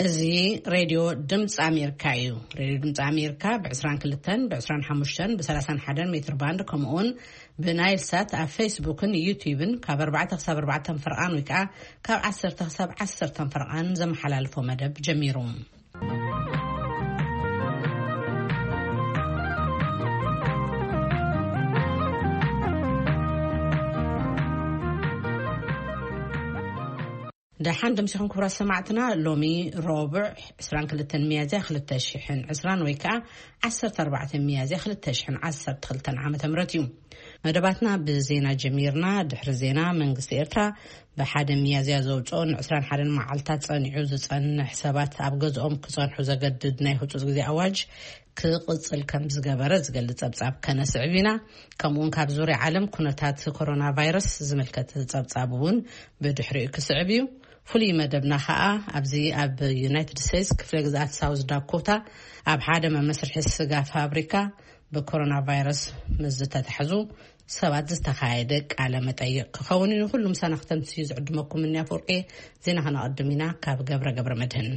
እዚ ሬድዮ ድምፂ ኣሜሪካ እዩ። ሬድዮ ድምፂ ኣሜሪካ ብ22፣ ብ25፣ ብ31 ሜትር ባንድ፣ ከምኡውን ብናይል ሳት ኣብ ፌስቡክን ዩቲዩብን ካብ ኣርባዕተ ክሳብ ኣርባዕተ ፈርቓን ወይ ከዓ ካብ ዓሰርተ ክሳብ ዓሰርተ ፈርቓን ዘመሓላልፎ መደብ ጀሚሩ። ደሓን ደምሲኹም ክቡራት ሰማዕትና። ሎሚ ረቡዕ ዕስራን ክልተን ሚያዝያ ክልተ ሽሕን ዕስራን ወይ ከዓ ዓሰርተ ኣርባዕተ ሚያዝያ ክልተ ሽሕን ዓሰርተ ክልተን ዓመተ ምህረት እዩ። መደባትና ብዜና ጀሚርና። ድሕሪ ዜና መንግስቲ ኤርትራ ብሓደ ሚያዝያ ዘውፅኦ ንዕስራን ሓደን መዓልታት ጸኒዑ ዝጸንሕ ሰባት ኣብ ገዝኦም ክጸንሑ ዘገድድ ናይ ህጹጽ ግዜ ኣዋጅ ክቕጽል ከም ዝገበረ ዝገልጽ ጸብጻብ ከነስዕብ ኢና። ከምኡውን ካብ ዙርያ ዓለም ኩነታት ኮሮና ቫይረስ ዝምልከት ጸብጻብ እውን ብድሕሪኡ ክስዕብ እዩ። ፍሉይ መደብና ኸኣ ኣብዚ ኣብ ዩናይትድ ስቴትስ ክፍለ ግዝኣት ሳውዝ ዳኮታ ኣብ ሓደ መመስርሒ ስጋ ፋብሪካ ብኮሮና ቫይረስ ምስ ዝተታሕዙ ሰባት ዝተኻየደ ቃለ መጠይቕ ክኸውን እዩ። ንኹሉ ምሳና ክተምስዩ ዝዕድመኩም እኒ ኣፈወርቂ። ዜና ከነቐድም ኢና ካብ ገብረ ገብረ መድህን።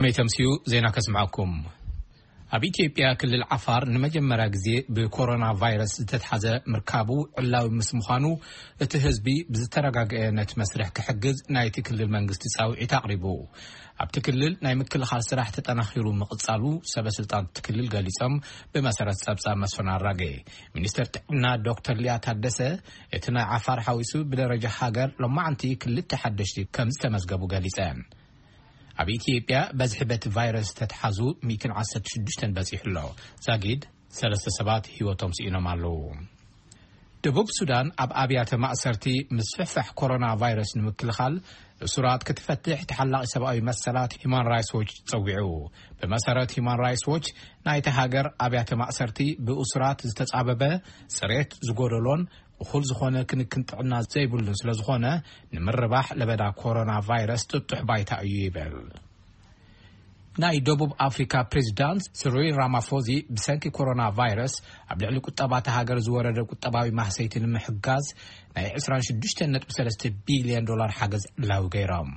መይ ተምስዩ ዜና ከስምዐኩም። ኣብ ኢትዮጵያ ክልል ዓፋር ንመጀመርያ ግዜ ብኮሮና ቫይረስ ዝተትሓዘ ምርካቡ ዕላዊ ምስ ምዃኑ፣ እቲ ህዝቢ ብዝተረጋገአ ነቲ መስርሕ ክሕግዝ ናይቲ ክልል መንግስቲ ጻውዒት ኣቕሪቡ። ኣብቲ ክልል ናይ ምክልኻል ስራሕ ተጠናኺሩ ምቕጻሉ ሰበ ስልጣን እቲ ክልል ገሊጾም፣ ብመሰረት ጸብጻብ መስፍን ኣራጌ። ሚኒስተር ጥዕና ዶክተር ሊያ ታደሰ፣ እቲ ናይ ዓፋር ሓዊሱ ብደረጃ ሃገር ሎማዓንቲ ክልተ ሓደሽቲ ከም ዝተመዝገቡ ገሊጸን። ኣብ ኢትዮጵያ በዝሒ በቲ ቫይረስ ተትሓዙ ሚእትን ዓሰርተ ሽዱሽተን በጺሑ ኣሎ። ዛጊድ ሰለስተ ሰባት ህይወቶም ስኢኖም ኣለዉ። ደቡብ ሱዳን ኣብ ኣብያተ ማእሰርቲ ምስፍሕፋሕ ኮሮና ቫይረስ ንምክልኻል እሱራት ክትፈትሕ ተሓላቒ ሰብኣዊ መሰላት ሂማን ራይትስ ዎች ጸዊዑ። ብመሰረት ሂማን ራይትስ ዎች፣ ናይቲ ሃገር ኣብያተ ማእሰርቲ ብእሱራት ዝተጻበበ፣ ጽሬት ዝጎደሎን እኹል ዝኾነ ክንክን ጥዕና ዘይብሉን ስለ ዝኾነ፣ ንምርባሕ ለበዳ ኮሮና ቫይረስ ጥጡሕ ባይታ እዩ ይብል። ናይ ደቡብ ኣፍሪካ ፕሬዚዳንት ስሪል ራማፎዚ ብሰንኪ ኮሮና ቫይረስ ኣብ ልዕሊ ቁጠባ እታ ሃገር ዝወረደ ቁጠባዊ ማህሰይቲ ንምሕጋዝ ናይ ዕስራን ሽዱሽተ ነጥቢ ሰለስተ ቢልዮን ዶላር ሓገዝ ዕላዊ ገይሮም።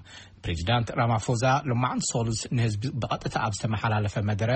ፕሬዚዳንት ራማፎዛ ሎማዓንቲ ሶሉስ ንህዝቢ ብቐጥታ ኣብ ዝተመሓላለፈ መደረ፣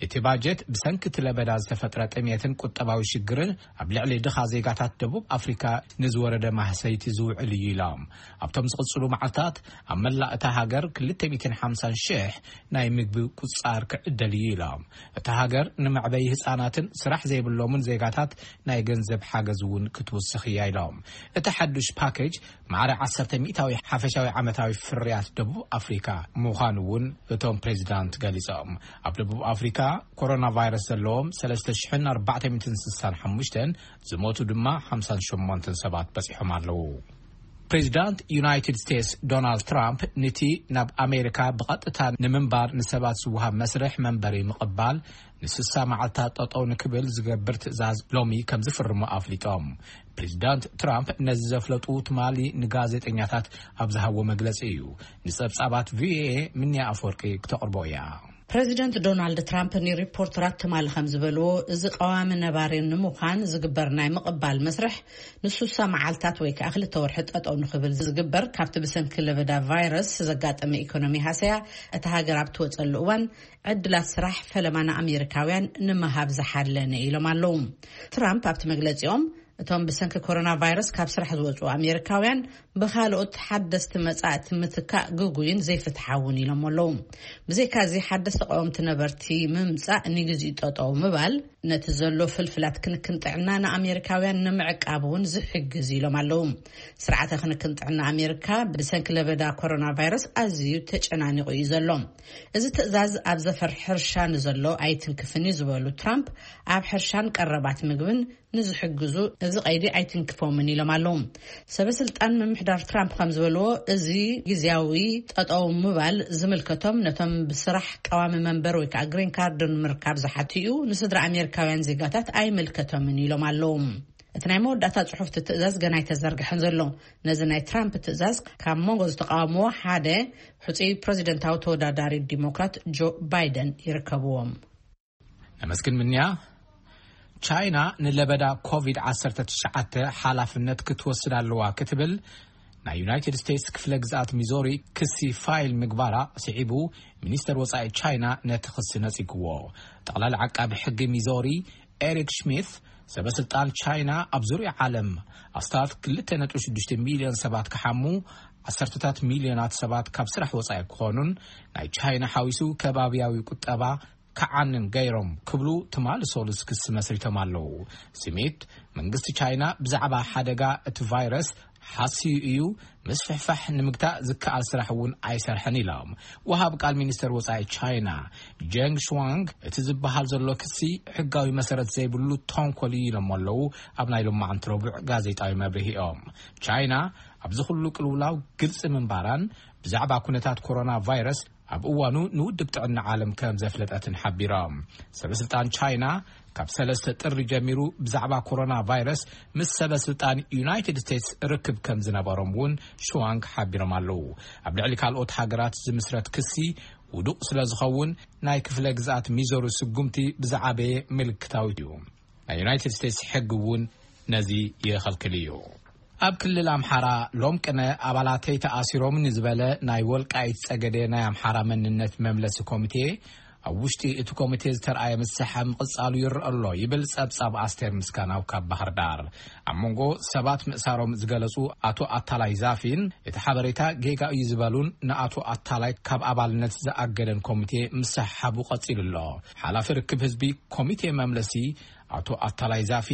እቲ ባጀት ብሰንኪ እቲ ለበዳ ዝተፈጥረ ጥሜትን ቁጠባዊ ሽግርን ኣብ ልዕሊ ድኻ ዜጋታት ደቡብ ኣፍሪካ ንዝወረደ ማህሰይቲ ዝውዕል እዩ ኢሎም። ኣብቶም ዝቕፅሉ መዓልታት ኣብ መላእ እታ ሃገር ክልተ ሚእትን ሓምሳን ሽሕ ናይ ምግቢ ቁፃር ክዕደል እዩ ኢሎም። እታ ሃገር ንመዕበይ ህፃናትን ስራሕ ዘይብሎምን ዜጋታት ናይ ገንዘብ ሓገዝ እውን ክትውስኽ እያ ኢሎም። እቲ ሓዱሽ ፓኬጅ ማዕረ ዓሰርተ ሚእታዊ ሓፈሻዊ ዓመታዊ ፍርያት ደቡብ ኣፍሪካ ምዃኑ እውን እቶም ፕሬዚዳንት ገሊጾም። ኣብ ደቡብ ኣፍሪካ ኮሮና ቫይረስ ዘለዎም ሰለስተ ሽሕን ኣርባዕተ ሚእትን ስሳን ሓሙሽተን፣ ዝሞቱ ድማ ሓምሳን ሸሞንተን ሰባት በጺሖም ኣለዉ። ፕሬዚዳንት ዩናይትድ ስቴትስ ዶናልድ ትራምፕ፣ ነቲ ናብ ኣሜሪካ ብቐጥታ ንምንባር ንሰባት ዝወሃብ መስርሕ መንበሪ ምቕባል ንስሳ መዓልታት ጠጠው ንክብል ዝገብር ትእዛዝ ሎሚ ከም ዝፍርሙ ኣፍሊጦም። ፕሬዚዳንት ትራምፕ ነዚ ዘፍለጡ ትማሊ ንጋዜጠኛታት ኣብ ዝሃቦ መግለጺ እዩ። ንጸብጻባት ቪኦኤ ምንያ ኣፈወርቂ ክተቕርቦ እያ። ፕሬዚደንት ዶናልድ ትራምፕ ንሪፖርተራት ትማሊ ከም ዝበልዎ፣ እዚ ቀዋሚ ነባሪ ንምዃን ዝግበር ናይ ምቕባል መስርሕ ንሱሳ መዓልታት ወይ ከዓ ክልተ ወርሒ ጠጠው ንክብል ዝግበር፣ ካብቲ ብሰንኪ ለበዳ ቫይረስ ዘጋጠመ ኢኮኖሚ ሃሰያ እታ ሃገር ኣብ ትወፀሉ እዋን ዕድላት ስራሕ ፈለማ ንኣሜሪካውያን ንምሃብ ዝሓለነ ኢሎም ኣለዉ። ትራምፕ ኣብቲ መግለፂኦም፣ እቶም ብሰንኪ ኮሮና ቫይረስ ካብ ስራሕ ዝወፁ ኣሜሪካውያን ብካልኦት ሓደስቲ መጻእቲ ምትካእ ግጉይን ዘይፍትሓውን ኢሎም ኣለዉ። ብዘይካዚ ሓደስቲ ቀወምቲ ነበርቲ ምምጻእ ንግዜኡ ጠጠው ምባል ነቲ ዘሎ ፍልፍላት ክንክን ጥዕና ንኣሜሪካውያን ንምዕቃብ እውን ዝሕግዝ ኢሎም ኣለዉ። ስርዓተ ክንክን ጥዕና ኣሜሪካ ብሰንኪ ለበዳ ኮሮና ቫይረስ ኣዝዩ ተጨናኒቑ እዩ ዘሎ። እዚ ትእዛዝ ኣብ ዘፈር ሕርሻ ንዘሎ ኣይትንክፍን እዩ ዝበሉ ትራምፕ፣ ኣብ ሕርሻን ቀረባት ምግብን ንዝሕግዙ እዚ ቀይዲ ኣይትንክፎምን ኢሎም ኣለዉ። ሰበ ስልጣን ምምሕዳር ትራምፕ ከም ዝበልዎ፣ እዚ ግዝያዊ ጠጠው ምባል ዝምልከቶም ነቶም ብስራሕ ቀዋሚ መንበር ወይ ከዓ ግሪን ካርድ ንምርካብ ዝሓትኡ ንስድራ ኣሜሪካውያን ዜጋታት ኣይምልከቶምን ኢሎም ኣለዉ። እቲ ናይ መወዳእታ ጽሑፍቲ ትእዛዝ ገና ኣይተዘርግሐን ዘሎ። ነዚ ናይ ትራምፕ ትእዛዝ ካብ መንጎ ዝተቃወምዎ ሓደ ሕጹይ ፕሬዚደንታዊ ተወዳዳሪ ዲሞክራት ጆ ባይደን ይርከብዎም። ነመስግን ምንያ። ቻይና ንለበዳ ኮቪድ ዓሰርተ ትሽዓተ ሓላፍነት ክትወስድ ኣለዋ ክትብል ናይ ዩናይትድ ስቴትስ ክፍለ ግዝኣት ሚዞሪ ክሲ ፋይል ምግባራ ስዒቡ፣ ሚኒስተር ወጻኢ ቻይና ነቲ ክሲ ነጺግዎ። ጠቕላሊ ዓቃቢ ሕጊ ሚዞሪ ኤሪክ ሽሚት፣ ሰበ ስልጣን ቻይና ኣብ ዙርያ ዓለም ኣስታት ክልተ ነጥቢ ሽዱሽተ ሚልዮን ሰባት ክሓሙ፣ ዓሰርተታት ሚልዮናት ሰባት ካብ ስራሕ ወጻኢ ክኾኑን ናይ ቻይና ሓዊሱ ከባብያዊ ቁጠባ ክዓንን ገይሮም ክብሉ ትማሊ ሶሉስ ክሲ መስሪቶም ኣለዉ። ስሚት፣ መንግስቲ ቻይና ብዛዕባ ሓደጋ እቲ ቫይረስ ሓስዩ እዩ፣ ምስፍሕፋሕ ንምግታእ ዝከኣል ስራሕ እውን ኣይሰርሐን ኢሎም። ወሃብ ቃል ሚኒስተር ወጻኢ ቻይና ጀንግ ሽዋንግ፣ እቲ ዝበሃል ዘሎ ክሲ ሕጋዊ መሰረት ዘይብሉ ተንኮል እዩ ኢሎም ኣለዉ። ኣብ ናይ ሎማዓንቲ ረቡዕ ጋዜጣዊ መብርሂኦም፣ ቻይና ኣብዚ ኩሉ ቅልውላው ግልጺ ምንባራን ብዛዕባ ኩነታት ኮሮና ቫይረስ ኣብ እዋኑ ንውድብ ጥዕና ዓለም ከም ዘፍለጠትን ሓቢሮም። ሰበ ስልጣን ቻይና ካብ ሰለስተ ጥሪ ጀሚሩ ብዛዕባ ኮሮና ቫይረስ ምስ ሰበ ስልጣን ዩናይትድ ስቴትስ ርክብ ከም ዝነበሮም እውን ሽዋንግ ሓቢሮም ኣለዉ። ኣብ ልዕሊ ካልኦት ሃገራት ዝምስረት ክሲ ውዱቕ ስለ ዝኸውን፣ ናይ ክፍለ ግዝኣት ሚዞሪ ስጉምቲ ብዝዓበየ ምልክታዊ እዩ። ናይ ዩናይትድ ስቴትስ ሕጊ እውን ነዚ ይኸልክል እዩ። ኣብ ክልል ኣምሓራ ሎም ቅነ ኣባላተይ ተኣሲሮም ንዝበለ ናይ ወልቃይት ጸገዴ ናይ ኣምሓራ መንነት መምለሲ ኮሚቴ፣ ኣብ ውሽጢ እቲ ኮሚቴ ዝተርኣየ ምስሓ ምቕጻሉ ይረአ ኣሎ ይብል ጸብጻብ ኣስቴር ምስጋናው ካብ ባህር ዳር። ኣብ መንጎ ሰባት ምእሳሮም ዝገለጹ ኣቶ ኣታላይ ዛፊን፣ እቲ ሓበሬታ ጌጋ እዩ ዝበሉን ንኣቶ ኣታላይ ካብ ኣባልነት ዝኣገደን ኮሚቴ ምስሓቡ ቀጺሉ ኣሎ። ሓላፊ ርክብ ህዝቢ ኮሚቴ መምለሲ ኣቶ ኣታላይ ዛፊ፣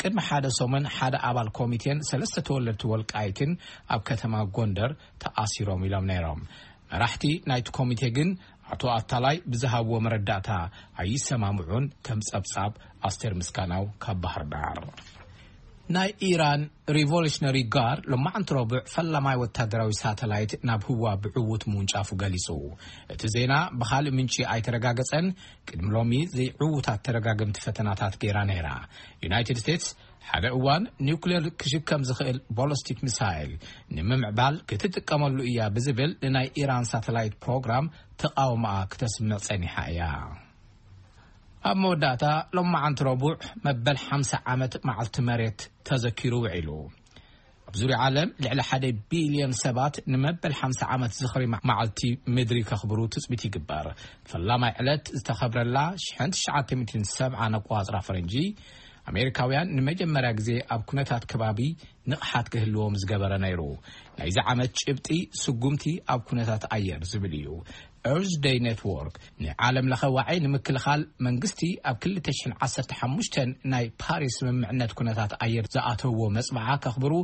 ቅድሚ ሓደ ሰሙን ሓደ ኣባል ኮሚቴን ሰለስተ ተወለድቲ ወልቃይትን ኣብ ከተማ ጎንደር ተኣሲሮም ኢሎም ነይሮም። መራሕቲ ናይቲ ኮሚቴ ግን ኣቶ ኣታላይ ብዝሃብዎ መረዳእታ ኣይሰማምዑን፣ ከም ጸብጻብ ኣስቴር ምስጋናው ካብ ባህር ዳር። ናይ ኢራን ሪቮሉሽነሪ ጋርድ ሎማዓንቲ ረቡዕ ፈላማይ ወታደራዊ ሳተላይት ናብ ህዋ ብዕዉት ምውንጫፉ ገሊጹ። እቲ ዜና ብኻልእ ምንጪ ኣይተረጋገጸን። ቅድሚ ሎሚ ዘይዕዉታት ተደጋገምቲ ፈተናታት ገይራ ነይራ። ዩናይትድ ስቴትስ ሓደ እዋን ኒውክሌር ክሽከም ዝኽእል ቦለስቲክ ሚሳይል ንምምዕባል ክትጥቀመሉ እያ ብዝብል ንናይ ኢራን ሳተላይት ፕሮግራም ተቃውሞኣ ክተስምዕ ጸኒሓ እያ። ኣብ መወዳእታ፣ ሎማዓንቲ ረቡዕ መበል ሓምሳ ዓመት መዓልቲ መሬት ተዘኪሩ ውዒሉ። ኣብ ዙርያ ዓለም ልዕሊ ሓደ ቢልዮን ሰባት ንመበል ሓምሳ ዓመት ዝኽሪ መዓልቲ ምድሪ ከኽብሩ ትጽቢት ይግበር። ፈላማይ ዕለት ዝተኸብረላ ሽሕን ትሽዓተ ሚእትን ሰብዓን ኣቆጻጽራ ፈረንጂ፣ ኣሜሪካውያን ንመጀመርያ ግዜ ኣብ ኩነታት ከባቢ ንቕሓት ክህልዎም ዝገበረ ነይሩ። ናይዚ ዓመት ጭብጢ ስጉምቲ ኣብ ኩነታት ኣየር ዝብል እዩ። ኤርዝ ደይ ኔትወርክ ንዓለም ለኸ ዋዒ ንምክልኻል መንግስቲ ኣብ ክልተ ሽሕን ዓሰርተ ሓሙሽተን ናይ ፓሪስ ስምምዕነት ኩነታት ኣየር ዝኣተዎ መጽብዓ ከኽብሩ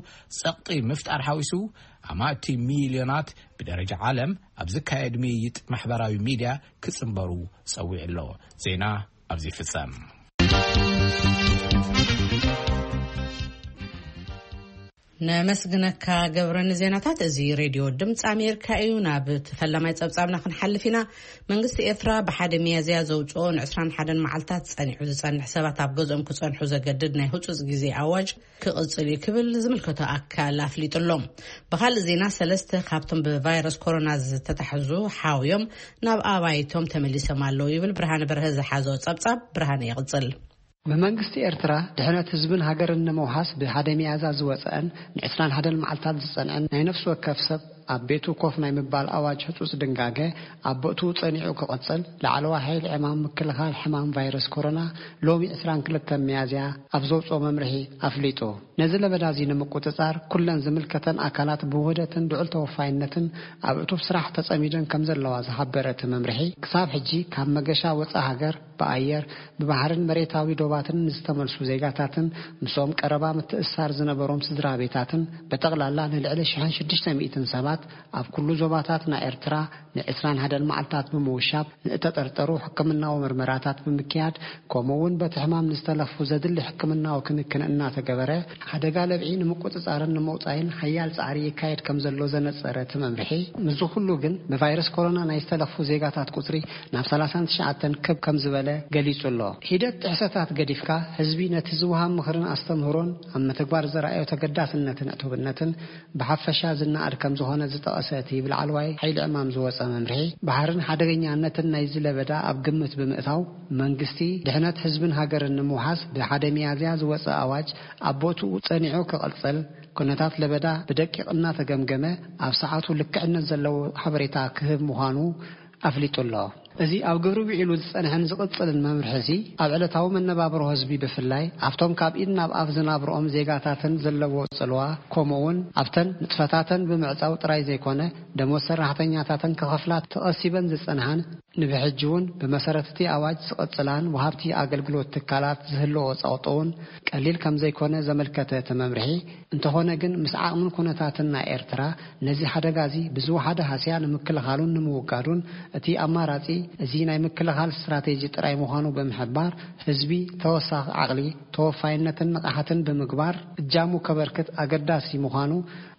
ጸቕጢ ምፍጣር ሓዊሱ፣ ኣማእቲ ሚልዮናት ብደረጃ ዓለም ኣብ ዝካየድ ምይይጥ ማሕበራዊ ሚድያ ክጽንበሩ ጸዊዑ ኣሎ። ዜና ኣብዚ ይፍጸም። ነመስግነካ ገብረ ንዜናታት። እዚ ሬድዮ ድምፂ ኣሜሪካ እዩ። ናብ እቲ ፈላማይ ጸብጻብና ክንሓልፍ ኢና። መንግስቲ ኤርትራ ብሓደ ሚያዝያ ዘውፅኦ ንዕስራን ሓደን መዓልታት ጸኒሑ ዝጸንሕ ሰባት ኣብ ገዝኦም ክጸንሑ ዘገድድ ናይ ህጹጽ ግዜ ኣዋጅ ክቕጽል እዩ ክብል ዝምልከቶ ኣካል ኣፍሊጡ ኣሎ። ብኻልእ ዜና፣ ሰለስተ ካብቶም ብቫይረስ ኮሮና ዝተታሕዙ ሓውዮም ናብ ኣባይቶም ተመሊሶም ኣለዉ ይብል ብርሃነ በርሀ ዝሓዞ ጸብጻብ። ብርሃነ ይቕጽል። ብመንግስቲ ኤርትራ ድሕነት ህዝብን ሃገርን ንምውሓስ ብሓደ ሚያዝያ ዝወጸአን ንዕስራን ሓደን መዓልታት ዝጸንዐን ናይ ነፍሲ ወከፍ ሰብ ኣብ ቤቱ ኮፍ ናይ ምባል ኣዋጅ ህጹጽ ድንጋገ ኣብ ቦትኡ ጸኒዑ ክቕጽል፣ ላዕለዋይ ሓይሊ ዕማም ምክልኻል ሕማም ቫይረስ ኮሮና ሎሚ ዕስራን ክልተን ሚያዝያ ኣብ ዘውጽኦ መምርሒ ኣፍሊጡ። ነዚ ለበዳ እዚ ንምቁጽጻር ኩለን ዝምልከተን ኣካላት ብውህደትን ልዑል ተወፋይነትን ኣብ እቱብ ስራሕ ተጸሚደን ከም ዘለዋ ዝሓበረ እቲ መምርሒ፣ ክሳብ ሕጂ ካብ መገሻ ወጻኢ ሃገር ብኣየር፣ ብባሕርን መሬታዊ ዶባትን ንዝተመልሱ ዜጋታትን ምስኦም ቀረባ ምትእስሳር ዝነበሮም ስድራ ቤታትን ብጠቕላላ ንልዕሊ ሽሕን ሽዱሽተ ሚእትን ሰባት ኣብ ኩሉ ዞባታት ናይ ኤርትራ ንዕስራን ሓደን መዓልታት ብምውሻብ ንእተጠርጠሩ ሕክምናዊ ምርመራታት ብምክያድ፣ ከምኡ እውን በቲ ሕማም ንዝተለኽፉ ዘድሊ ሕክምናዊ ክንክን እናተገበረ፣ ሓደጋ ለብዒ ንምቁጽጻርን ንምውጻይን ሓያል ጻዕሪ ይካየድ ከም ዘሎ ዘነጸረ እቲ መምርሒ፣ ምስዚ ኩሉ ግን ብቫይረስ ኮሮና ናይ ዝተለኽፉ ዜጋታት ቁጽሪ ናብ ሰላሳን ትሽዓተን ክብ ከም ዝበለ ገሊጹ ኣሎ። ሂደት ጥሕሰታት ገዲፍካ፣ ህዝቢ ነቲ ዝወሃብ ምኽርን ኣስተምህሮን ኣብ ምትግባር ዘርኣዮ ተገዳስነትን ዕቱብነትን ብሓፈሻ ዝነኣድ ከም ዝኾነ ዝጠቐሰ እቲ ብላዕለዋይ ሓይሊ ዕማም ዝወጸ መምርሒ ባሕርን ሓደገኛነትን ናይዚ ለበዳ ኣብ ግምት ብምእታው፣ መንግስቲ ድሕነት ህዝብን ሃገርን ንምውሓስ ብሓደ ሚያዝያ ዝወጸ ኣዋጅ ኣብ ቦትኡ ጸኒዑ ክቕጽል፣ ኩነታት ለበዳ ብደቂቕ እናተገምገመ ኣብ ሰዓቱ ልክዕነት ዘለዎ ሓበሬታ ክህብ ምዃኑ ኣፍሊጡ ኣሎ። እዚ ኣብ ግብሪ ውዒሉ ዝጸንሐን ዝቕጽልን መምርሒ እዚ፣ ኣብ ዕለታዊ መነባብሮ ህዝቢ ብፍላይ ኣብቶም ካብ ኢድ ናብ ኣፍ ዝናብርኦም ዜጋታትን ዘለዎ ጽልዋ፣ ከምኡ እውን ኣብተን ንጥፈታተን ብምዕጻው ጥራይ ዘይኮነ፣ ደሞዝ ሰራሕተኛታተን ክኸፍላ ተቐሲበን ዝጸንሓን፣ ንብሕጂ እውን ብመሰረት እቲ ኣዋጅ ዝቐጽላን ወሃብቲ ኣገልግሎት ትካላት ዝህልዎ ጸቕጢ እውን ቀሊል ከም ዘይኮነ ዘመልከተ እቲ መምርሒ፣ እንተኾነ ግን ምስ ዓቕምን ኩነታትን ናይ ኤርትራ ነዚ ሓደጋ እዚ ብዝወሓደ ሃስያ ንምክልኻሉን ንምውጋዱን እቲ ኣማራጺ እዚ ናይ ምክልኻል ስትራቴጂ ጥራይ ምዃኑ ብምሕባር፣ ህዝቢ ተወሳኺ ዓቕሊ፣ ተወፋይነትን ንቕሓትን ብምግባር እጃሙ ከበርክት ኣገዳሲ ምዃኑ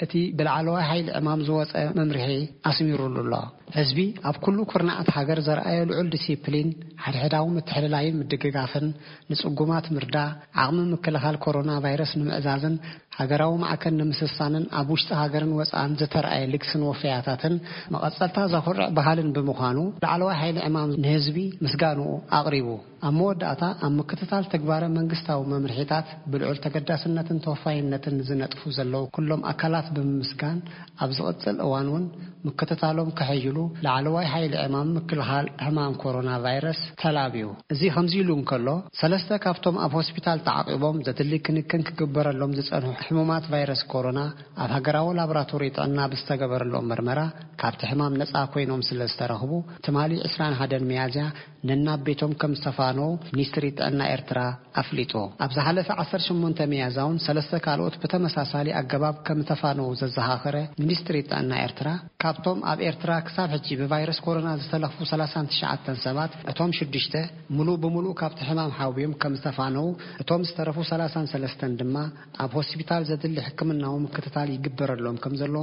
እቲ ብላዕለዋይ ሓይሊ ዕማም ዝወጸ መምርሒ ኣስሚሩሉ ኣሎ። ህዝቢ ኣብ ኩሉ ኩርናዓት ሃገር ዘርኣዮ ልዑል ዲሲፕሊን፣ ሓድሕዳዊ ምትሕልላይን ምድግጋፍን፣ ንጽጉማት ምርዳእ፣ ዓቕሚ ምክልኻል ኮሮና ቫይረስ ንምዕዛዝን ሃገራዊ ማዕከን ንምስሳንን ኣብ ውሽጢ ሃገርን ወጻእን ዝተርኣየ ልግስን ወፈያታትን መቐጸልታ ዘኹርዕ ባህልን ብምዃኑ፣ ላዕለዋይ ሓይሊ ዕማም ንህዝቢ ምስጋንኡ ኣቕሪቡ። ኣብ መወዳእታ፣ ኣብ ምክትታል ተግባረ መንግስታዊ መምርሒታት ብልዑል ተገዳስነትን ተወፋይነትን ዝነጥፉ ዘለዉ ኩሎም ኣካላት ብምምስጋን፣ ኣብ ዝቕጽል እዋን እውን ምክትታሎም ከሐይሉ ላዕለዋይ ሓይሊ ዕማም ምክልኻል ሕማም ኮሮና ቫይረስ ተላብዩ። እዚ ከምዚ ኢሉ እንከሎ፣ ሰለስተ ካብቶም ኣብ ሆስፒታል ተዓቂቦም ዘድሊ ክንክን ክግበረሎም ዝጸንሑ ሕሙማት ቫይረስ ኮሮና ኣብ ሃገራዊ ላቦራቶሪ ጥዕና ብዝተገበረሎም መርመራ ካብቲ ሕማም ነጻ ኮይኖም ስለ ዝተረኽቡ፣ ትማሊ ዕስራን ሓደን ሚያዝያ ነናብ ቤቶም ከም ዝተፋነዉ ሚኒስትሪ ጥዕና ኤርትራ ኣፍሊጡ። ኣብ ዝሓለፈ ዓሰርተ ሸሞንተ ሚያዝያ እውን ሰለስተ ካልኦት ብተመሳሳሊ ኣገባብ ከም ዝተፋነዉ ዘዘኻኸረ ሚኒስትሪ ጥዕና ኤርትራ፣ ካብቶም ኣብ ኤርትራ ክሳብ ሕጂ ብቫይረስ ኮሮና ዝተለኽፉ ሰላሳን ትሽዓተን ሰባት፣ እቶም ሽዱሽተ ምሉእ ብምሉእ ካብቲ ሕማም ሓውዮም ከም ዝተፋነዉ፣ እቶም ዝተረፉ ሰላሳን ሰለስተን ድማ ኣብ ሆስፒታል ዘድሊ ሕክምናዊ ምክትታል ይግበረሎም ከም ዘሎ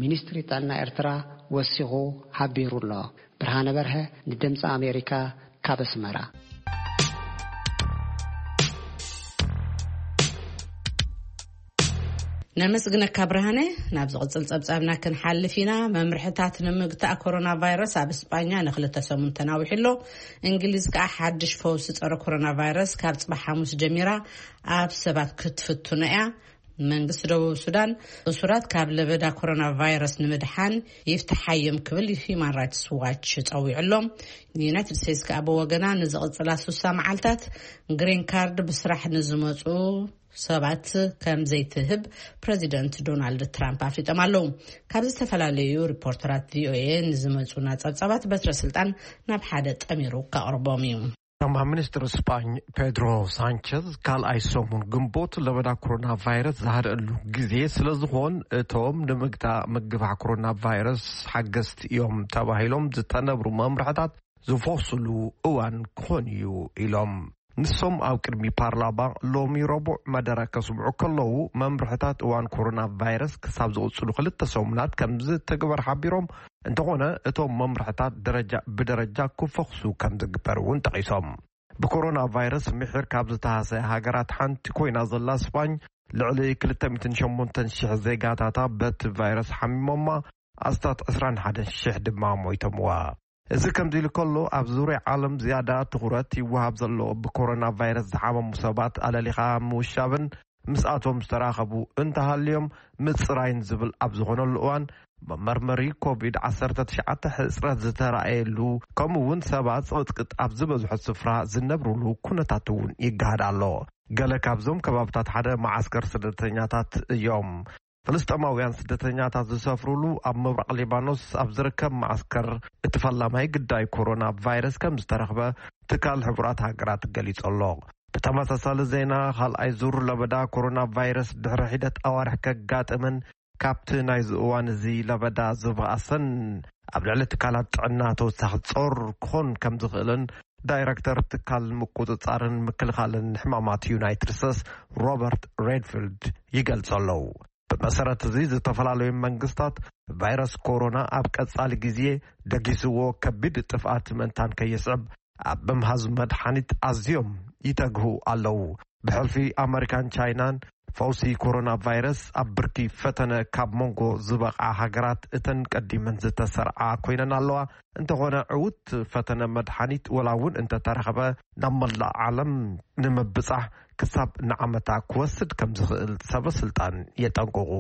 ሚኒስትሪ ጥዕና ኤርትራ ወሲኹ ሓቢሩ ኣሎ። ብርሃነ በርሀ፣ ንድምፂ ኣሜሪካ፣ ካብ ኣስመራ። ነመስግነካ ብርሃነ። ናብ ዝቕጽል ጸብጻብና ክንሓልፍ ኢና። መምርሕታት ንምግታእ ኮሮና ቫይረስ ኣብ እስጳኛ ንክልተ ሰሙን ተናዊሑ ኣሎ። እንግሊዝ ከኣ ሓድሽ ፈውሲ ጸረ ኮሮና ቫይረስ ካብ ጽባሕ ሓሙስ ጀሚራ ኣብ ሰባት ክትፍትኖ እያ። መንግስቲ ደቡብ ሱዳን እሱራት ካብ ለበዳ ኮሮና ቫይረስ ንምድሓን ይፍትሓዮም ክብል ሂዩማን ራይትስ ዋች ጸዊዑ ኣሎ። ዩናይትድ ስቴትስ ከኣ ብወገና ንዝቕጽላ ሱሳ መዓልታት ግሪን ካርድ ብስራሕ ንዝመጹ ሰባት ከም ዘይትህብ ፕረዚደንት ዶናልድ ትራምፕ ኣፍሊጦም ኣለዉ። ካብ ዝተፈላለዩ ሪፖርተራት ቪኦኤ ንዝመጹና ጸብጻባት በትረ ስልጣን ናብ ሓደ ጠሚሩ ከቕርቦም እዩ። ቀዳማይ ሚኒስትር ስጳኝ ፔድሮ ሳንቸዝ ካልኣይ ሰሙን ግንቦት ለበዳ ኮሮና ቫይረስ ዝሃደአሉ ግዜ ስለ ዝኾን፣ እቶም ንምግታእ ምግፋሕ ኮሮና ቫይረስ ሓገዝቲ እዮም ተባሂሎም ዝተነብሩ መምርሕታት ዝፈስሉ እዋን ክኾን እዩ ኢሎም። ንሶም ኣብ ቅድሚ ፓርላማ ሎሚ ረቡዕ መደረ ከስምዑ ከለዉ፣ መምርሕታት እዋን ኮሮና ቫይረስ ክሳብ ዝቕጽሉ ክልተ ሰሙናት ከም ዝትግበር ሓቢሮም፣ እንተኾነ እቶም መምርሕታት ደረጃ ብደረጃ ክፈኽሱ ከም ዝግበር እውን ጠቒሶም። ብኮሮና ቫይረስ ምሒር ካብ ዝተሃሰያ ሃገራት ሓንቲ ኮይና ዘላ ስፓኝ፣ ልዕሊ ክልተ ሚእትን ሸሞንተን ሽሕ ዜጋታታ በቲ ቫይረስ ሓሚሞማ፣ ኣስታት ዕስራን ሓደን ሽሕ ድማ ሞይቶምዋ። እዚ ከምዚ ኢሉ ከሎ፣ ኣብ ዙርያ ዓለም ዝያዳ ትኹረት ይወሃብ ዘሎ ብኮሮና ቫይረስ ዝሓመሙ ሰባት ኣለሊኻ ምውሻብን ምስኣቶም ዝተራኸቡ እንተሃልዮም ምጽራይን ዝብል ኣብ ዝኾነሉ እዋን፣ መመርመሪ ኮቪድ ዓሰርተ ትሽዓተ ሕጽረት ዝተራእየሉ፣ ከምኡ እውን ሰባት ጽቕጥቅጥ ኣብ ዝበዝሖ ስፍራ ዝነብሩሉ ኩነታት እውን ይገሃድ ኣሎ። ገለ ካብዞም ከባብታት ሓደ መዓስከር ስደተኛታት እዮም። ፍልስጤማውያን ስደተኛታት ዝሰፍሩሉ ኣብ ምብራቕ ሊባኖስ ኣብ ዝርከብ መዓስከር፣ እቲ ፈላማይ ግዳይ ኮሮና ቫይረስ ከም ዝተረኽበ ትካል ሕቡራት ሃገራት ገሊጹ ኣሎ። ብተመሳሳሊ ዜና፣ ካልኣይ ዙር ለበዳ ኮሮና ቫይረስ ድሕሪ ሒደት ኣዋርሕ ከጋጥምን ካብቲ ናይዚ እዋን እዚ ለበዳ ዝበኣሰን ኣብ ልዕሊ ትካላት ጥዕና ተወሳኺ ጾር ክኾን ከም ዝኽእልን ዳይረክተር ትካል ምቁጽጻርን ምክልኻልን ሕማማት ዩናይትድ ስቴትስ ሮበርት ሬድፊልድ ይገልጹ ኣለዉ። ብመሰረት እዚ፣ ዝተፈላለዩ መንግስታት ቫይረስ ኮሮና ኣብ ቀጻሊ ግዜ ደጊስዎ ከቢድ ጥፍኣት ምእንታን ከየስዕብ ኣብ ምምሃዝ መድሓኒት ኣዝዮም ይተግሁ ኣለዉ። ብሕልፊ ኣመሪካን ቻይናን ፈውሲ ኮሮና ቫይረስ ኣብ ብርኪ ፈተነ ካብ መንጎ ዝበቕዓ ሃገራት እተን ቀዲመን ዝተሰርዓ ኮይነን ኣለዋ። እንተኾነ ዕዉት ፈተነ መድሓኒት ወላ እውን እንተተረኸበ፣ ናብ መላእ ዓለም ንምብጻሕ ክሳብ ንዓመታ ክወስድ ከም ዝኽእል ሰበ ስልጣን የጠንቅቑ።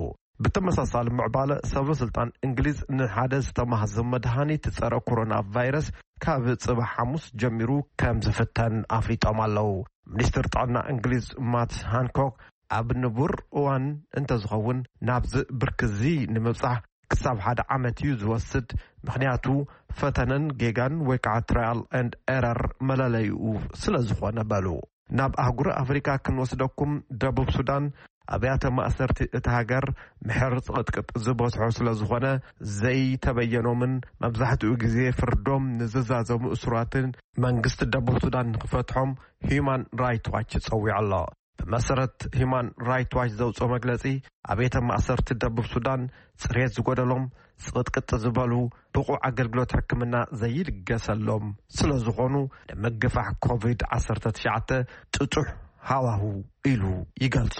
ብተመሳሳሊ ምዕባለ ሰበ ስልጣን እንግሊዝ ንሓደ ዝተማህዘ መድሃኒት ጸረ ኮሮና ቫይረስ ካብ ጽባሕ ሓሙስ ጀሚሩ ከም ዝፍተን ኣፍሊጦም ኣለዉ። ሚኒስትር ጥዕና እንግሊዝ ማት ሃንኮክ ኣብ ንቡር እዋን እንተዝኸውን ናብዚ ብርክዚ ንምብጻሕ ክሳብ ሓደ ዓመት እዩ ዝወስድ፣ ምኽንያቱ ፈተነን ጌጋን ወይ ከዓ ትራያል ኤንድ ኤረር መለለይኡ ስለ ዝኾነ በሉ። ናብ ኣህጉር ኣፍሪካ ክንወስደኩም፣ ደቡብ ሱዳን ኣብያተ ማእሰርቲ እቲ ሃገር ምሕር ጽቕጥቅጥ ዝበዝሖ ስለ ዝኾነ ዘይተበየኖምን መብዛሕትኡ ግዜ ፍርዶም ንዝዛዘሙ እሱራትን መንግስቲ ደቡብ ሱዳን ንክፈትሖም ሂዩማን ራይት ዋች ጸዊዑ ኣሎ። ብመሰረት ሂዩማን ራይት ዋች ዘውፅኦ መግለፂ፣ ኣብ ቤተ ማእሰርቲ ደቡብ ሱዳን ፅሬት ዝጎደሎም፣ ፅቕጥቅጥ ዝበሉ፣ ብቑዕ ኣገልግሎት ሕክምና ዘይልገሰሎም ስለ ዝኾኑ ንምግፋሕ ኮቪድ ዓሰርተ ትሽዓተ ጥጡሕ ሃዋሁ ኢሉ ይገልጾ።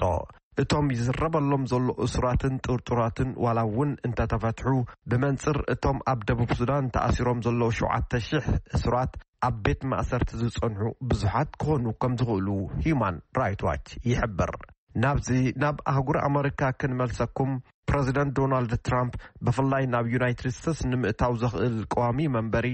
እቶም ይዝረበሎም ዘሎ እሱራትን ጥርጡራትን ዋላ እውን እንተተፈትሑ፣ ብመንጽር እቶም ኣብ ደቡብ ሱዳን ተኣሲሮም ዘለዉ ሸውዓተ ሽሕ እሱራት ኣብ ቤት ማእሰርቲ ዝጸንሑ ብዙሓት ክኾኑ ከም ዝኽእሉ ሂዩማን ራይት ዋች ይሕብር። ናብዚ ናብ ኣህጉር ኣመሪካ ክንመልሰኩም፣ ፕረዚደንት ዶናልድ ትራምፕ ብፍላይ ናብ ዩናይትድ ስቴትስ ንምእታው ዘኽእል ቀዋሚ መንበሪ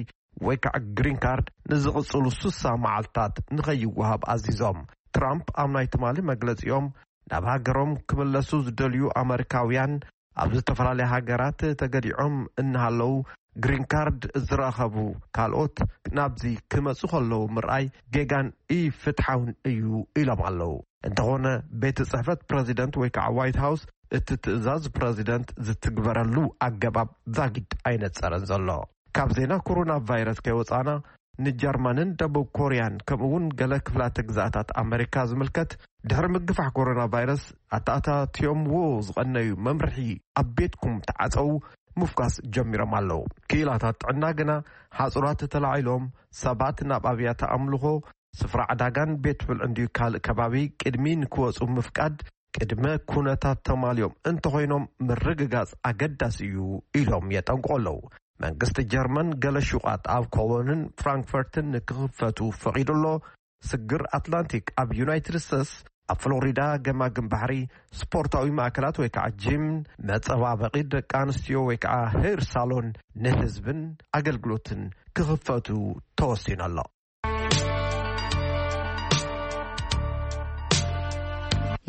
ወይ ከዓ ግሪን ካርድ ንዝቕጽሉ ስሳ መዓልታት ንኸይወሃብ ኣዚዞም። ትራምፕ ኣብ ናይ ትማሊ መግለጺኦም፣ ናብ ሃገሮም ክምለሱ ዝደልዩ ኣመሪካውያን ኣብ ዝተፈላለያ ሃገራት ተገዲዖም እናሃለዉ ግሪን ካርድ ዝረኸቡ ካልኦት ናብዚ ክመጹ ከለዉ ምርኣይ ጌጋን ኢፍትሓውን እዩ ኢሎም ኣለዉ። እንተኾነ ቤት ጽሕፈት ፕረዚደንት ወይ ከዓ ዋይት ሃውስ እቲ ትእዛዝ ፕረዚደንት ዝትግበረሉ ኣገባብ ዛጊድ ኣይነጸረን ዘሎ። ካብ ዜና ኮሮና ቫይረስ ከይወጻና ንጀርመንን ደቡብ ኮርያን ከምኡ እውን ገለ ክፍላተ ግዝኣታት ኣመሪካ ዝምልከት ድሕሪ ምግፋሕ ኮሮና ቫይረስ ኣተኣታትዮምዎ ዝቐነዩ መምርሒ ኣብ ቤትኩም ተዓጸው ምፍኳስ ጀሚሮም ኣለዉ። ክኢላታት ጥዕና ግና ሓጹራት ተላዒሎም ሰባት ናብ ኣብያተ ኣምልኾ፣ ስፍራ ዕዳጋን ቤት ብልዕን ድዩ ካልእ ከባቢ ቅድሚ ንክወጹ ምፍቃድ ቅድመ ኩነታት ተማልዮም እንተኾይኖም ምርግጋጽ ኣገዳሲ እዩ ኢሎም የጠንቅቑ ኣለዉ። መንግስቲ ጀርመን ገለ ሹቓት ኣብ ኮሎንን ፍራንክፈርትን ንክኽፈቱ ፈቒዱ ኣሎ። ስግር ኣትላንቲክ ኣብ ዩናይትድ ስቴትስ ኣብ ፍሎሪዳ ገማግም ባሕሪ፣ ስፖርታዊ ማእከላት ወይ ከዓ ጂም፣ መጸባበቒ ደቂ ኣንስትዮ ወይ ከዓ ሄር ሳሎን ንህዝብን ኣገልግሎትን ክኽፈቱ ተወሲኑ ኣሎ።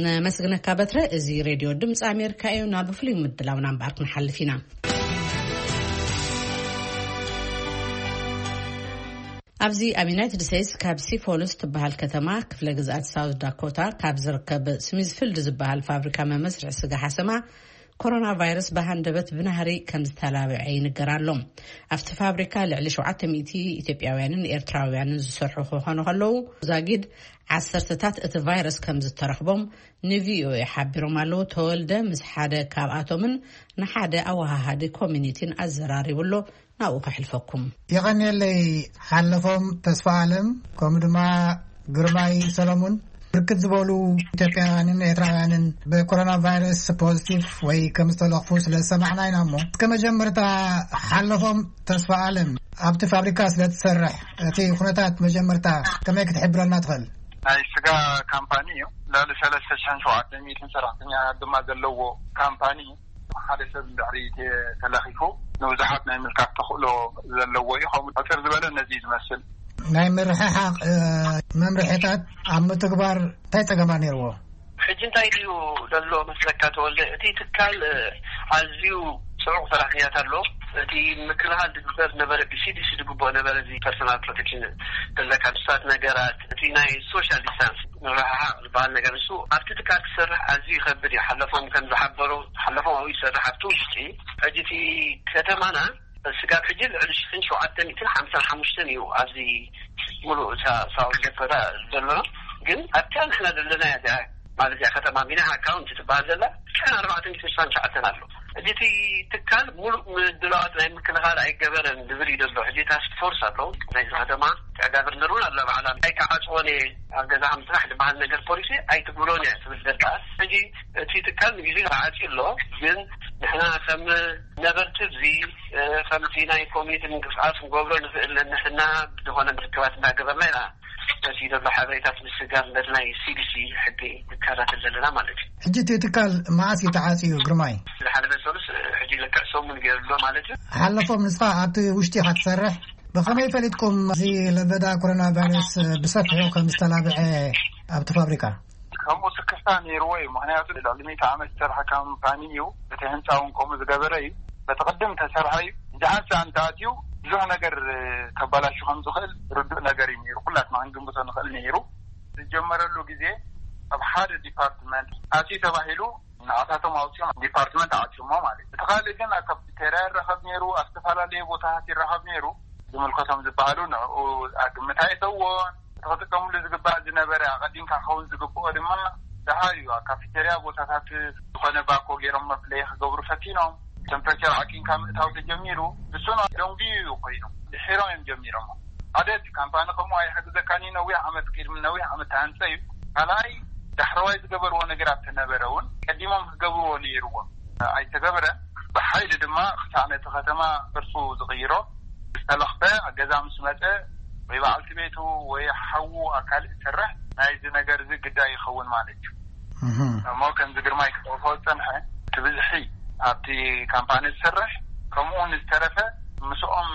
ነመስግነካ በትረ። እዚ ሬድዮ ድምፂ ኣሜሪካ እዩ። ናብ ፍሉይ ምድላውና እምበኣር ክንሓልፍ ኢና። ኣብዚ ኣብ ዩናይትድ ስቴትስ ካብ ሲፎልስ ትበሃል ከተማ ክፍለ ግዝኣት ሳውት ዳኮታ ካብ ዝርከብ ስሚዝፊልድ ዝበሃል ፋብሪካ መመስርሒ ስጋ ሓሰማ ኮሮና ቫይረስ ብሃንደበት ብናህሪ ከም ዝተላብዐ ይንገር ኣሎ። ኣብቲ ፋብሪካ ልዕሊ ሸውዓተ ሚእቲ ኢትዮጵያውያንን ኤርትራውያንን ዝሰርሑ ክኾኑ ከለዉ፣ ዛጊድ ዓሰርተታት እቲ ቫይረስ ከም ዝተረኽቦም ንቪኦኤ ሓቢሮም ኣለዉ። ተወልደ ምስ ሓደ ካብኣቶምን ንሓደ ኣወሃሃዲ ኮሚኒቲን ኣዘራሪቡ ኣሎ። ናብኡ ከሕልፈኩም። የቐንየለይ ሓለፎም ተስፋ ኣለም፣ ከምኡ ድማ ግርማይ ሰለሙን። ብርክት ዝበሉ ኢትዮጵያውያንን ኤርትራውያንን ብኮሮና ቫይረስ ፖዚቲቭ ወይ ከም ዝተለኽፉ ስለ ዝሰማዕና ኢና። እሞ እስከ መጀመርታ ሓለፎም ተስፋ ኣለም፣ ኣብቲ ፋብሪካ ስለ ትሰርሕ እቲ ኩነታት መጀመርታ ከመይ ክትሕብረና ትኽእል? ናይ ስጋ ካምፓኒ እዩ። ልዕሊ ሰለስተ ሽሕን ሸውዓተ ሚእትን ሰራሕተኛ ድማ ዘለዎ ካምፓኒ እዩ። ሓደ ሰብ እንድሕሪ ተ-፣ ተለኺፉ ንብዙሓት ናይ ምልካፍ ተኽእሎ ዘለዎ እዩ። ከምኡ ሕፅር ዝበለ ነዚ እዩ ዝመስል። ናይ ምርሕሓቕ፣ እ፣ መምርሒታት ኣብ ምትግባር እንታይ ጸገማት ነይርዎ? ሕጂ እንታይ ድዩ ዘሎ መስለካ ተወልደ? እቲ ትካል፣ እ፣ ኣዝዩ ጽዑቕ ሰራሕተኛታት ኣሎ። እቲ ምክልኻል ዝግበር ነበረ፣ ብሲዲሲ ዝግብኦ ነበረ፣ እዚ ፐርሶናል ፕሮቴክሽን ዘለካ ድስታት ነገራት፣ እቲ ናይ ሶሻል ዲስታንስ ምርሕሓቕ ዝበሃል ነገር፣ ንሱ ኣብቲ ትካል ክሰርሕ ኣዝዩ ይኸብድ እዩ። ሓለፎም ከም ዝሓበሩ፣ ሓለፎም ኣብኡ ይሰርሕ ኣብቲ ውሽጢ። ሕጂ እቲ ከተማና ስጋብ ሕጂ ልዕሊ ሽሕን ሸውዓተ ሚእትን ሓምሳን ሓሙሽተን እዩ ኣብዚ ሙሉእ እታ ሳውት ዳኮታ ዘሎ። ግን ኣብታ ንሕና ዘለና እያ እዚኣ፣ ማለት እያ ከተማ ሚናሃ ካውንቲ ትበሃል ዘላ፣ ሽሕን ኣርባዕተ ሚእትን ስሳን ትሽዓተን ኣሎ። ሕጂ እቲ ትካል ሙሉእ ምድላዋት ናይ ምክልኻል ኣይገበረን ዝብል እዩ ዘሎ። ሕጂ ታስክ ፎርስ ኣሎ ናይዚ ከተማ፣ ጋቨርነር እውን ኣሎ ባዕላ። ኣይከዓፅዎን እየ ኣብ ገዛ ከም ፅናሕ ዝበሃል ነገር ፖሊሲ ኣይትግብሮን እያ ትብል ዘላ። ሕጂ እቲ ትካል ንግዜ ተዓፅዩ ኣሎ። ግን ንሕና ከም ነበርቲ እዚ ከምቲ ናይ ኮሚኒቲ ምንቅስቃስ ክንገብሮ ንኽእል ነንሕና ዝኾነ ምርክባት እናገበርና ኢና ነቲ ዘሎ ሓበሬታት ምስጋር ነቲ ናይ ሲዲሲ ሕጊ ንከታተል ዘለና ማለት እዩ። ሕጂ እቲ ትካል መዓስ እዩ ተዓፅዩ ግርማይ? ዝሓለፈ ሰሉስ ሕጂ ልክዕ ሰሙን ገይሩ ኣሎ ማለት እዩ። ሓለፎም ንስኻ ኣብቲ ውሽጢ ኢኻ ትሰርሕ፣ ብኸመይ ፈሊጥኩም እዚ ለበዳ ኮሮና ቫይረስ ብሰፊሑ ከም ዝተላብዐ ኣብቲ ፋብሪካ? ከምኡ ስክፍታ ነይርዎ እዩ። ምክንያቱ ልዕሊ ሚእቲ ዓመት ዝሰርሐ ካምፓኒ እዩ። እቲ ህንፃ እውን ከምኡ ዝገበረ እዩ። በቲ ቅድም ተሰርሐ እዩ። እዚ ሓንሳ እንተኣትዩ ብዙሕ ነገር ከባላሹ ከም ዝኽእል ርዱእ ነገር እዩ ነይሩ። ኩላትና ክንግምቶ ንኽእል ነይሩ። ዝጀመረሉ ግዜ ኣብ ሓደ ዲፓርትመንት ኣትዩ ተባሂሉ ንኣታቶም ኣውፅኦም ዲፓርትመንት ኣዕፅሞ ማለት እዩ። እቲ ካልእ ግን ኣብ ካፍቴርያ ይረኸብ ነይሩ፣ ኣብ ዝተፈላለዩ ቦታታት ይረኸብ ነይሩ። ዝምልከቶም ዝበሃሉ ንዕኡ ኣግምት ኣይእተዎን። እቲ ክጥቀምሉ ዝግባእ ዝነበረ ኣቐዲምካ ክኸውን ዝግብኦ ድማ ደሃዩ ኣብ ካፊቴርያ ቦታታት ዝኾነ ባኮ ገይሮም መፍለይ ክገብሩ ፈቲኖም። ቴምፕሬቸር ዓቂንካ ምእታው ተጀሚሩ። ንሱ ደንጉዩ እዩ ኮይኑ፣ ድሒሮም እዮም ጀሚሮሞ። ሓደ እቲ ካምፓኒ ከምኡ ኣይሕግዘካን እዩ፣ ነዊሕ ዓመት ቅድሚ ነዊሕ ዓመት ተሃንፀ እዩ። ካልኣይ ዳሕረዋይ ዝገበርዎ ነገራት ተነበረ እውን ቀዲሞም ክገብርዎ ነይርዎም፣ ኣይተገበረን። ብሓይሊ ድማ ክሳዕ ነቲ ከተማ ቅርፁ ዝቕይሮ ዝተለኽፈ ገዛ ምስ መፀ ወይ በዓልቲ ቤቱ ወይ ሓዉ ኣካል ዝሰርሕ ናይዚ ነገር እዚ ግዳይ ይኸውን ማለት እዩ። እሞ ከምዚ ግርማይ ክጠቕሶ ዝፀንሐ እቲ ብዝሒ ኣብቲ ካምፓኒ ዝሰርሕ ከምኡ ንዝተረፈ ምስኦም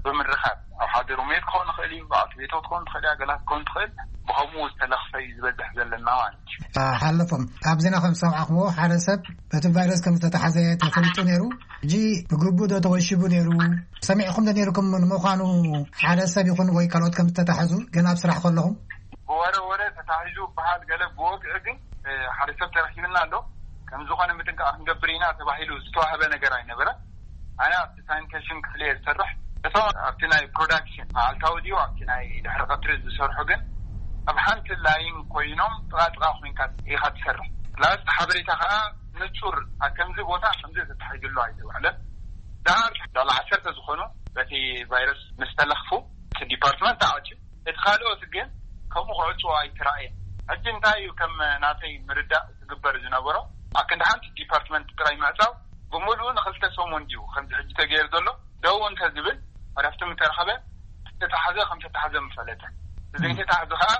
ብምርኻብ ኣብ ሓደ ሩሜት ክኸውን ይኽእል እዩ፣ በዓልቲ ቤቶ ክትከውን ትኽእል እያ፣ ገላት ክትከውን ትኽእል። ብኸምኡ ዝተለኽፈ እዩ ዝበዝሕ ዘለና ማለት እዩ። ሓለፎም ኣብ ዜና ከም ዝሰማዕኹምዎ ሓደ ሰብ በቲ ቫይረስ ከም ዝተታሓዘ ተፈሊጡ ነይሩ። ሕጂ ብግቡእ ዶ ተወሺቡ ነይሩ? ሰሚዕኩም ዶ ነይርኩም? ንምዃኑ ሓደ ሰብ ይኹን ወይ ካልኦት ከም ዝተታሕዙ ገና ኣብ ስራሕ ከለኹም? ብወረ ወረ ተታሒዙ በሃል ገለ ብወግዒ ግን ሓደ ሰብ ተረኪብና ኣሎ። ከም ዝኾነ ምጥንቃቕ ክንገብር ኢና ተባሂሉ ዝተዋህበ ነገር ኣይነበረ። ኣነ ኣብቲ ሳኒቴሽን ክፍሊ እየ ዝሰርሕ። እቶም ኣብቲ ናይ ፕሮዳክሽን መዓልታዊ ድዩ ኣብቲ ናይ ድሕሪ ቀትሪ ዝሰርሑ ግን ኣብ ሓንቲ ላይን ኮይኖም ጥቓ ጥቓ ኮይንካ ኢኻ ትሰርሕ። ፕላስ ሓበሬታ ከዓ ንጹር ኣብ ከምዚ ቦታ ከምዚ ተታሒዙ ኣሎ ኣይተባህለን። ደኣ ልዕሊ ዓሰርተ ዝኾኑ በቲ ቫይረስ ምስ ተለኽፉ እቲ ዲፓርትመንት ተዓፅዩ። እቲ ካልኦት ግን ከምኡ ክዕፅዎ ኣይተራእየን። ሕጂ እንታይ እዩ ከም ናተይ ምርዳእ ዝግበር ዝነበሮ ኣብ ክንዲ ሓንቲ ዲፓርትመንት ጥራይ ምዕፃው ብምሉኡ ንክልተ ሰሙን ድዩ ከምዚ ሕጂ ተገይሩ ዘሎ ደው እንተዝብል ዕረፍቲ ምተረኸበ ዝተታሕዘ ከም ዝተታሕዘ ምፈለጠ ዘይተታሕዘ ከዓ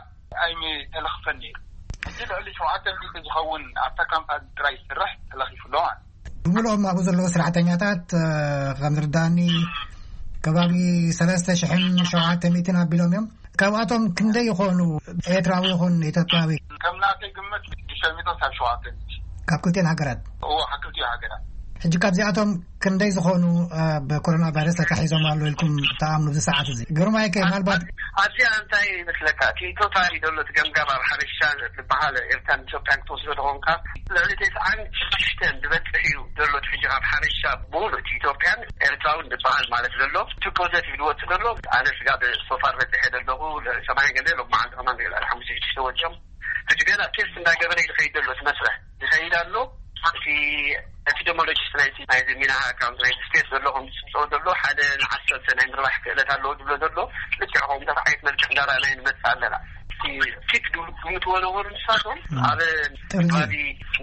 ኣይምተለኽፈን ነይሩ። ሕጂ ልዕሊ ሸውዓተ ሚእቲ ዝኸውን ኣብታ ካምፓኒ ጥራይ ዝስራሕ ተለኺፉ ኣሎ ማለት እዩ። ብምልኦም ኣብኡ ዘለዉ ሰራሕተኛታት ከም ዝርዳእኒ ከባቢ ሰለስተ ሽሕን ሸውዓተ ሚእትን ኣቢሎም እዮም። ካብኣቶም ክንደይ ይኾኑ ኤርትራዊ ይኹን ኢትዮጵያዊ? ከም ናተይ ግምት ሽዱሽተ ሚእቲ ሳብ ሸውዓተ ሚእቲ። ካብ ክልቲኦን ሃገራት? እዎ ካብ ክልቲኦ ሃገራት። ሕጂ ካብዚኣቶም ክንደይ ዝኾኑ ብኮሮና ቫይረስ ተታሒዞም ኣለዉ ኢልኩም ትኣምኑ ኣብዚ ሰዓት እዚ? ግርማይ ከ ምናልባት ኣብዚኣ እንታይ ይመስለካ እቲ ቶታሊ ዘሎ እቲ ገምጋም ኣብ ሓበሻ ዝበሃል ኤርትራን ኢትዮጵያን ክትወስዶ ተኾንካ ልዕሊ ተስዓን ሽዱሽተን ዝበፅሕ እዩ ዘሎ እቲ ሕጂ ካብ ሓበሻ ብምሉእ እቲ ኢትዮጵያን ኤርትራውን ዝበሃል ማለት ዘሎ እቲ ፖዘቲቭ ዝወፅእ ዘሎ ኣነ ስጋ ብሶፋር በፂሐ ዘለኹ ሰማንያ ገለ ሎመዓልቲ ከማን ገለ ሓሙሽተ ሽዱሽተ ወፂኦም ሕጂ ገና ቴስት እንዳገበረ እዩ ዝኸይድ ዘሎ እቲ መስርሕ ዝኸይድ ኣሎ። እቲ ኤፒደሞሎጂስት ናይቲ ናይዚ ሚና ኣካውንት ናይ ስቴት ዘሎ ከም ዝፅብፅቦ ዘሎ ሓደ ንዓሰርተ ናይ ምርባሕ ክእለት ኣለዎ ዝብሎ ዘሎ ልክዕ ከምኡ ዓይነት መልክዕ እንዳረኣናዮ ንመፅእ ኣለና። እቲ ፒክ ዝብል ግምትዎ ነበሩ ንሳቶም ኣብ ከባቢ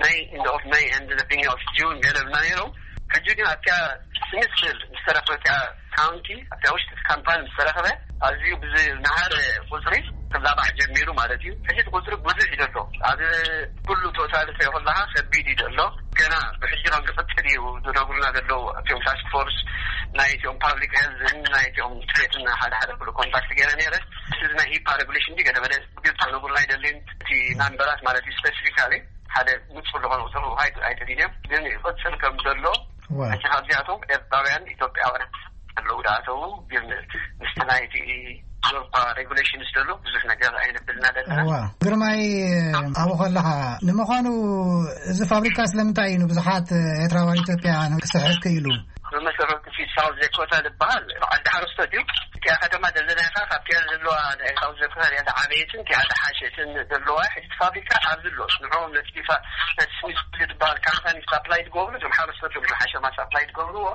ናይ ኢንድ ኦፍ ማይ ኤንድ ቢግኒንግ ኦፍ ጁን ገለ ብልና ነይሮም። ሕጂ ግን ኣብቲያ ስምስል ዝተረፈ እቲያ ካውንቲ ኣብታ ውሽጢ እቲ ካምፓኒ ምስ ተረኸበ ኣዝዩ ብዝነሃረ ቁፅሪ ክላባዕ ጀሚሩ ማለት እዩ። ሕጂ እቲ ቁፅሪ ብዙሕ እዩ ዘሎ ኣብ ኩሉ ቶታል ትሪኦ ከለካ ከቢድ እዩ ዘሎ። ገና ብሕጂ ከም ዝቕፅል እዩ ዝነግሩና ዘለዉ እቲኦም ታስክ ፎርስ ናይ እቲኦም ፓብሊክ ሄልዝን ናይ እቲኦም ትሬትን ሓደ ሓደ ኩሉ ኮንታክት ገይረ ነይረ። እዚ ናይ ሂፓ ሬጉሌሽን ገለ መለ ግልፂ ክነግሩና ኣይደልን። እቲ ናምበራት ማለት እዩ ስፔሲፊካሊ ሓደ ንፁር ዝኾነ ቁፅሪ ምሃብ ኣይደልን እዮም ግን ይቕፅል ከም ዘሎ ሕጂ ካብዚኣቶም ኤርትራውያን ኢትዮጵያውያን ኣለዉ ዝኣተዉ ግን ምስቲ ናይቲ ዞርኳ ሬጉሌሽንስ ዘሎ ብዙሕ ነገር ኣይነብልና ዘለና። እዋ ግርማይ ኣብኡ ከለኻ ንምዃኑ እዚ ፋብሪካ ስለምንታይ እዩ ንብዙሓት ኤርትራውያን ኢትዮጵያውያን ክስሕብ ክኢሉ? ሰረርቲ ፊት ሳውዝ ዳኮታ ዝበሃል በዓል ሓረስቶት እዩ። እቲኣ ከተማ ደለናይካ ካብቲኣ ዘለዋ ናይ ሳውዝ ዳኮታ እያ ዝዓበየትን እቲኣ ዝሓሸትን ዘለዋ። ሕጂ እቲ ፋብሪካ ኣብዚ ኣሎ። ንዕኦም ነቲ ፋ- ነቲ ስሚዝ ዝበሃል ካምፓኒ ሳፕላይ ትገብሩ፣ እዞም ሓረስቶት እዮም ዝሓሸማ ሳፕላይ ትገብርዎ።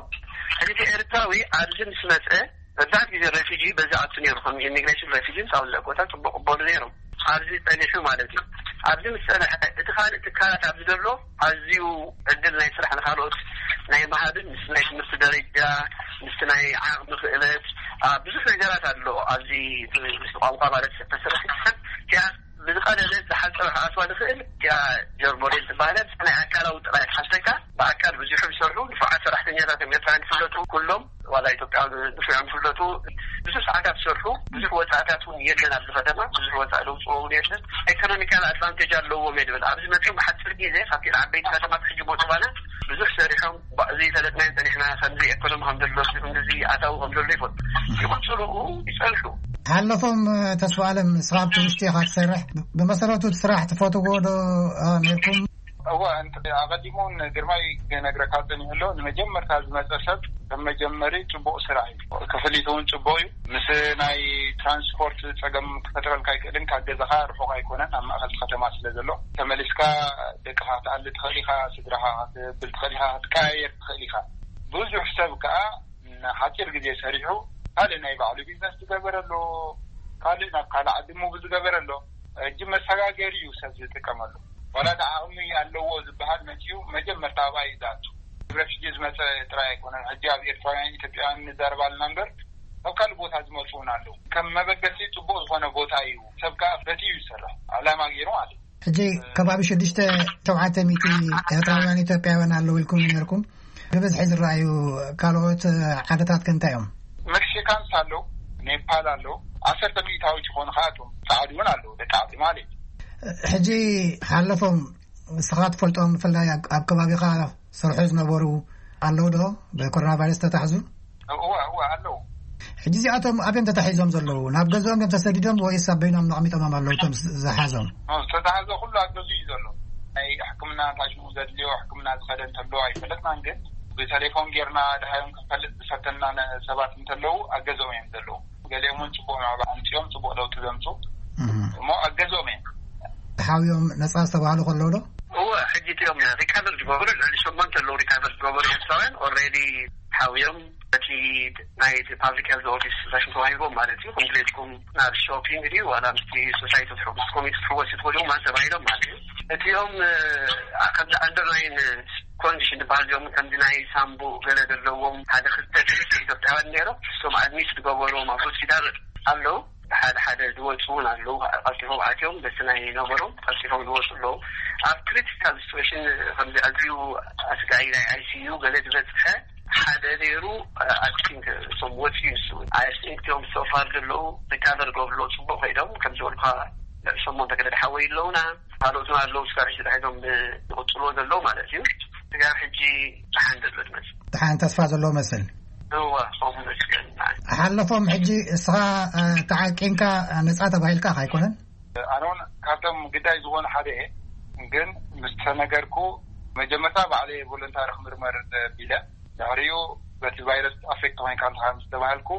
ሕጂ እቲ ኤርትራዊ ኣብዚ ምስ መፀ መብዛሕትኡ ግዜ ሬፊጂ በዚ ኣቱ ነይሩ፣ ከም ኢሚግሬሽን ሬፊጂ ሳውዝ ዳኮታ ፅቡቅ ቅበሉ ነይሮም። ኣብዚ ጸኒሑ ማለት እዩ። ኣብዚ ምስ ጸንሐ እቲ ካልእ ትካላት ኣብዚ ዘሎ ኣዝዩ ዕድል ናይ ስራሕ ንካልኦት ናይ ምሃብን ምስ ናይ ትምህርቲ ደረጃ ምስ ናይ ዓቕሚ ክእለት ብዙሕ ነገራት ኣሎ። ኣብዚ ምስ ቋንቋ ማለት ተሰረሒ ሰብ ያ ብዝቐለለ ዝሓፀረ ክኣትዋ ዝኽእል ያ ጀርሞዴል ትባሃል። ናይ ኣካላዊ ጥራይ ሓሰካ ብኣካል ብዙሕ ዝሰርሑ ንፉዓት ሰራሕተኛታት እዮም ኤርትራውያን ዝፍለጡ ኩሎም ዋላ ኢትዮጵያ ንፉዓት ዝፍለጡ ብዙሕ ሰዓታት ዝሰርሑ ብዙሕ ወፃእታት እውን የለን ኣብዚ ከተማ ብዙሕ ወፃእ ለውፅዎ እውን የለን። ኢኮኖሚካል ኣድቫንቴጅ ኣለዎም እየ ድብል ኣብዚ መፅኦም ብሓፂር ግዜ ካብቲ ዓበይቲ ከተማት ሕጂ ቦትባና ብዙሕ ሰሪሖም ዘይፈለጥናዮ ፀኒሕና ከምዚ ኢኮኖሚ ከም ዘሎ ከምዚ ኣታዊ ከም ዘሎ ይፈልጡ ይቕፅሉ ይፀንሑ። ሓለፎም ተስፋ ኣለም ስራብ ትውሽቲ ኢኻ ትሰርሕ ብመሰረቱ ስራሕ ትፈትዎ ዶ ነርኩም? እወ ኣቐዲሙ እውን ግርማይ ክነግረካ ፀኒሑ ኣሎ። ንመጀመርታ ዝመፀ ሰብ ከም መጀመሪ ፅቡቕ ስራሕ እዩ። ክፍሊት እውን ፅቡቕ እዩ። ምስ ናይ ትራንስፖርት ፀገም ክፈጥረልካ ኣይክእልን ካብ ገዛኻ ርሑቕ ኣይኮነን ኣብ ማእኸል ከተማ ስለ ዘሎ ተመሊስካ ደቅኻ ክትኣሊ ትኽእል ኢኻ። ስድራኻ ክትብል ትኽእል ኢኻ ክትቀያየር ትኽእል ኢኻ። ብዙሕ ሰብ ከዓ ንሓፂር ግዜ ሰሪሑ ካልእ ናይ ባዕሉ ቢዝነስ ዝገበረ ኣሎ። ካልእ ናብ ካልእ ዓዲ ሙቭ ዝገበረ ኣሎ። ሕጂ መሰጋገሪ እዩ ሰብ ዝጥቀመሉ። ዋላ ዳ ዓቕሚ ኣለዎ ዝበሃል መፅኡ መጀመርታ ኣብኣ እዩ ዝኣቱ። ረፊጂ ዝመፀ ጥራይ ኣይኮነን። ሕጂ ኣብ ኤርትራውያን ኢትዮጵያውያን ንዛረብ ኣለና እምበር ኣብ ካልእ ቦታ ዝመፁ እውን ኣለዉ። ከም መበገሲ ፅቡቕ ዝኾነ ቦታ እዩ። ሰብ ከዓ ፈትዩ ይሰርሕ ዕላማ ገይሩ ማለት እዩ። ሕጂ ከባቢ ሽዱሽተ ሸውዓተ ሚእቲ ኤርትራውያን ኢትዮጵያውያን ኣለዉ ኢልኩም ነርኩም። ብብዝሒ ዝረኣዩ ካልኦት ዓድታት ከ እንታይ እዮም? መክሲካንስ ኣለዉ፣ ኔፓል ኣለዉ። ዓሰርተ ሚእታዊት ይኾኑ ከኣቶም ፃዕዱ እውን ኣለዉ ደቂ ዓዲ ማለት እዩ። ሕጂ ሓለፎም ንስኻ ትፈልጦም ብፍላይ ኣብ ከባቢኻ ሰርሑ ዝነበሩ ኣለዉ ዶ ብኮሮና ቫይረስ ተታሕዙ? እወ እወ ኣለዉ። ሕጂ እዚኣቶም ኣበዮም ተታሒዞም ዘለዉ ናብ ገዝኦም እዮም ተሰዲዶም ወይስ ኣብ በይኖም ነቕሚጦሞም ኣለዉ እቶም ዝሓዞም? ተታሕዞ ኩሉ ኣብ ገዙ እዩ ዘሎ። ናይ ሕክምና ታሽሙ ዘድልዮ ሕክምና ዝኸደ እንተሎ ኣይፈለጥናን ግን ብቴሌፎን ጌርና ድሃዮም ክንፈልጥ ዝፈተና ሰባት እንተለዉ ኣብ ገዝኦም እዮም ዘለዉ። ገሊኦም እውን ፅቡቅ ምዕባለ ኣምፅኦም ፅቡቅ ለውጢ ዘምፁ እሞ ኣብ ገዝኦም እዮም። ተሓውዮም ነፃ ዝተባህሉ ከለዉ ዶ? እወ ሕጂ እቲኦም ሪካቨር ዝገበሩ ልዕሊ ሸሞንተ ኣለዉ። ሪካቨር ዝገበሩ ኤርትራውያን ኦልሬዲ ሓውዮም በቲ ናይ ፓብሊክ ሄልዝ ኦፊስ ዛሽን ተዋሂቦም ማለት እዩ። ኮምፕሌትኩም ናብ ሾፒንግ ድዩ ዋላ ምስቲ ሶሳይቲ ትሕወስ ኮሚቲ ትሕወስ ትኽእሉ ማለት ተባሂሎም ማለት እዩ። እቲኦም ከምዚ ኣንደርላይን ኮንዲሽን ዝበሃል እዚኦም ከምዚ ናይ ሳምቡ ገለ ዘለዎም ሓደ ክልተ ሰለስተ ኢትዮጵያውያን ነይሮም። እሶም ኣድሚት ዝገበርዎም ኣብ ሆስፒታል ኣለዉ። ሓደ ሓደ ዝወፁ እውን ኣለዉ። ቀልጢፎም ኣትዮም በቲ ናይ ነበሮም ቀልጢፎም ዝወፁ ኣለዉ። ኣብ ክሪቲካል ሲትዌሽን ከምዚ ኣዝዩ ኣስጋኢ ናይ ኣይሲዩ ገለ ዝበፅሐ ሓደ ነይሩ። ኣይ ቲንክ እሶም ወፂኡ ንሱ እውን ኣይ ቲንክ እቲኦም ሶፋር ዘለዉ ሪካቨር ገብርሎ ፅቡቅ ከይዶም ከም ዝበልኳ ሸሞንተ ገለ ድሓወይ ኣለዉና። ካልኦት ኣለዉ ስጋብ ሕጂ ድሕዞም ዝቕፅልዎ ዘለዉ ማለት እዩ። ስጋብ ሕጂ ደሓን ዘሎ ዝመስል። ደሓን ተስፋ ዘለዎ መስል። እወ ከምኡ መስል። ሓለፎም ሕጂ እስኻ ተዓቂንካ ነፃ ተባሂልካ ኣይኮነን? ኣነ እውን ካብቶም ግዳይ ዝኾኑ ሓደ እየ። ግን ምስ ተነገርኩ መጀመርታ ባዕለየ ቮለንታሪ ክምርመር ቢለ ድሕሪኡ በቲ ቫይረስ ኣፌክት ኮይንካ ኣለካ ምስ ተባሃልኩ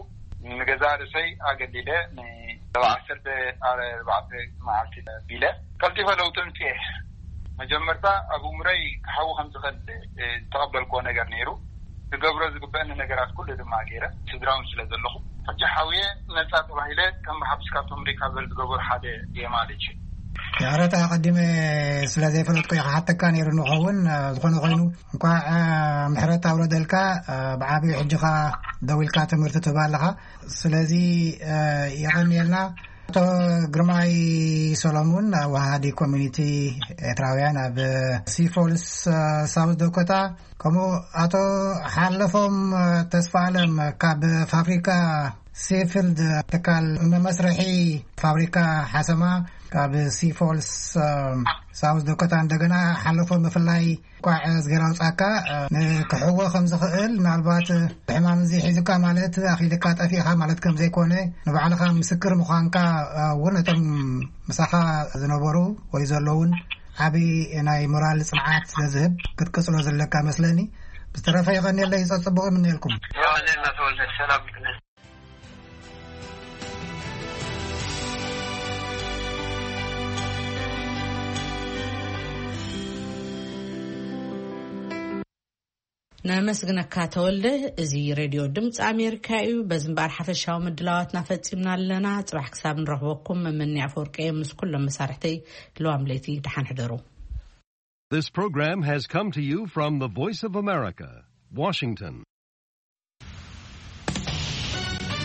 ንገዛ ርእሰይ ኣገሊለ ንሰብዓ ዓሰርተ ኣርባዕተ መዓልቲ ቢለ ቀልጢፈ ለውጢ ምፅኤ። መጀመርታ ኣብ እምሮይ ክሓዊ ከም ዝኽእል ዝተቐበልክዎ ነገር ነይሩ። ክገብሮ ዝግበአኒ ነገራት ኩሉ ድማ ገይረ ስድራውን ስለ ዘለኹ ሕጂ ሓውየ ነፃ ተባሂለ ከም ብሓብስ ካብቶም ሪካቨር ዝገበሩ ሓደ እየ ማለት እዩ። ይቕረታ ኣቐዲመ ስለ ዘይፈለጥኩ እየ ክሓተካ ነይሩ ንኸውን ዝኾነ ኮይኑ እንኳዕ ምሕረት ኣውረደልካ። ብዓብዩ ሕጂ ኸኣ ደው ኢልካ ትምህርቲ ትህብ ኣለኻ። ስለዚ የቐንየልና። ኣቶ ግርማይ ሰሎሙን ኣዋሃዲ ኮሚኒቲ ኤርትራውያን ኣብ ሲፎልስ ሳውዝ ዶኮታ፣ ከምኡ ኣቶ ሓለፎም ተስፋ ኣለም ካብ ፋብሪካ ሴፊልድ ትካል መመስርሒ ፋብሪካ ሓሰማ ካብ ሲፎልስ ሳውዝ ዶኮታ እንደገና ሓለፎም ብፍላይ ቋዕ ዝገራ ውፃካ ንክሕዎ ከም ዝኽእል ምናልባት ሕማም እዚ ሒዙካ ማለት ኣኺልካ ጠፊእካ ማለት ከም ዘይኮነ ንባዕልኻ ምስክር ምዃንካ እውን እቶም ምሳኻ ዝነበሩ ወይ ዘለውን ዓብዪ ናይ ሞራል ፅንዓት ስለ ዝህብ ክትቅፅሎ ዘለካ መስለኒ። ዝተረፈ የቐንየለይ፣ ጸጽቡቕ ይምንየልኩም። ዮሐንስ ተወልደ ሰላም። ነመስግነካ ተወልደ። እዚ ሬድዮ ድምፂ ኣሜሪካ እዩ። በዚ እምበኣር ሓፈሻዊ ምድላዋትና ፈፂምና ኣለና። ፅባሕ ክሳብ ንረኽበኩም መመንያ ኣፈወርቂ ምስ ኩሎም መሳርሕተይ፣ ለዋም ለይቲ ደሓን ሕደሩ። This program has come to you from the Voice of America, Washington.